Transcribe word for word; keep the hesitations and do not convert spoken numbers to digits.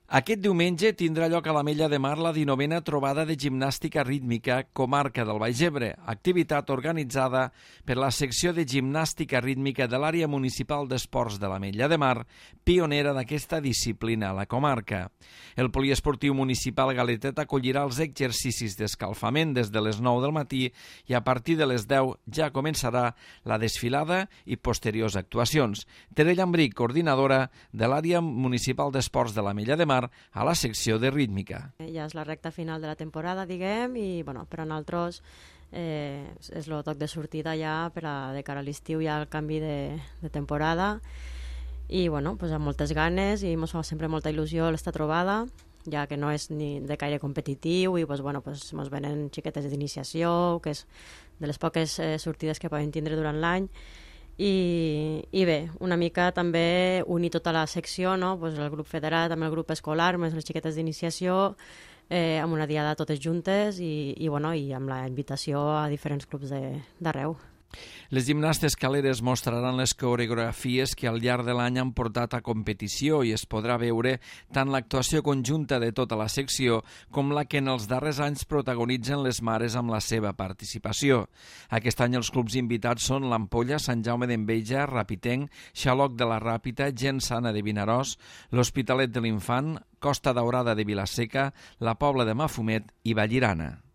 Aquest diumenge tindrà lloc a l'Ametlla de Mar la dinovena trobada de gimnàstica rítmica Comarca del Baix Ebre, activitat organitzada per la secció de gimnàstica rítmica de l'àrea municipal d'esports de l'Ametlla de Mar, pionera d'aquesta disciplina a la comarca. El poliesportiu municipal Galetet acollirà els exercicis d'escalfament des de les nou del matí i a partir de les deu ja començarà la desfilada i posteriors actuacions. Tere Llambric, coordinadora de l'àrea municipal d'esports de l'Ametlla de Mar, a la secció de rítmica. Ja és la recta final de la temporada, diguem, i bueno, per a nosaltres eh, és el toc de sortida ja per a, de cara a l'estiu, ja el canvi de, de temporada, i bueno, pues amb moltes ganes, i ens fa sempre molta il·lusió l'esta trobada, ja que no és ni de caire competitiu, i pues, bueno, pues, ens venen xiquetes d'iniciació, que és de les poques eh, sortides que poden tindre durant l'any. I, i bé, una mica també unir tota la secció, no? Pues el grup federat amb el grup escolar, més les xiquetes d'iniciació, eh, amb una diada totes juntes i, i, bueno, i amb la invitació a diferents clubs d'arreu. Les gimnastes caleres mostraran les coreografies que al llarg de l'any han portat a competició i es podrà veure tant l'actuació conjunta de tota la secció com la que en els darrers anys protagonitzen les mares amb la seva participació. Aquest any els clubs invitats són l'Ampolla, Sant Jaume d'Enveja, Rapitenc, Xaloc de la Ràpita, Gent Sana de Vinaròs, l'Hospitalet de l'Infant, Costa Daurada de Vilaseca, la Pobla de Mafumet i Vallirana.